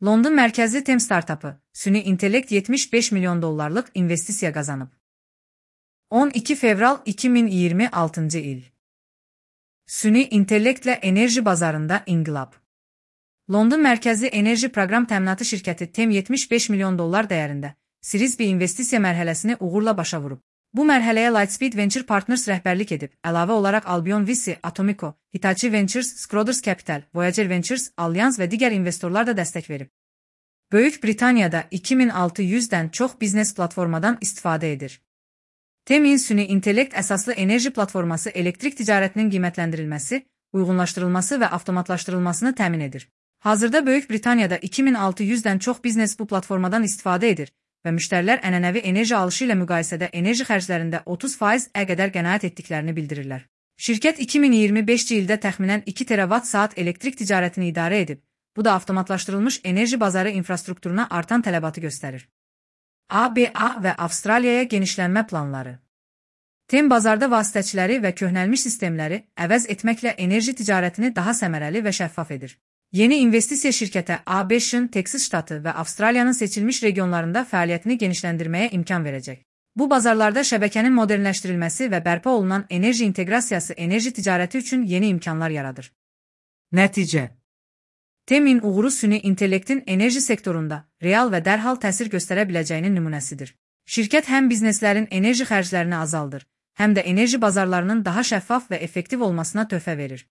London mərkəzli TEM startapı, süni intellekt $75 milyon investisiya qazanıb. 12 fevral 2026 il. Süni intellektlə enerji bazarında inqilab. London mərkəzli enerji proqram təminatı şirkəti TEM $75 milyon dəyərində Series B investisiya mərhələsini uğurla başa vurub. Bu mərhələyə Lightspeed Venture Partners rəhbərlik edib, əlavə olaraq Albion VC, Atomico, Hitachi Ventures, Schroders Capital, Voyager Ventures, Allianz və digər investorlar da dəstək verib. Böyük Britaniyada 2600-dən çox biznes platformadan istifadə edir. TEM-in süni intellekt əsaslı enerji platforması elektrik ticarətinin qiymətləndirilməsi, uyğunlaşdırılması və avtomatlaşdırılmasını təmin edir. Hazırda Böyük Britaniyada 2600-dən çox biznes bu platformadan istifadə edir və müştərilər ənənəvi enerji alışı ilə müqayisədə enerji xərclərində 30% qədər qənaət etdiklərini bildirirlər. Şirkət 2025-ci ildə təxminən 2 terawatt-saat elektrik ticarətini idarə edib. Bu da avtomatlaşdırılmış enerji bazarı infrastrukturuna artan tələbatı göstərir. ABA və Avstraliyaya genişlənmə planları. TEM bazarda vasitəçiləri və köhnəlmiş sistemləri əvəz etməklə enerji ticarətini daha səmərəli və şəffaf edir. Yeni investisiya şirkətə ABŞ-ın Texas ştatı və Avstraliyanın seçilmiş regionlarında fəaliyyətini genişləndirməyə imkan verəcək. Bu bazarlarda şəbəkənin modernləşdirilməsi və bərpa olunan enerji inteqrasiyası enerji ticarəti üçün yeni imkanlar yaradır. Nəticə: TEM-in uğuru süni intellektin enerji sektorunda real və dərhal təsir göstərə biləcəyinin nümunəsidir. Şirkət həm bizneslərin enerji xərclərini azaldır, həm də enerji bazarlarının daha şəffaf və effektiv olmasına töhfə verir.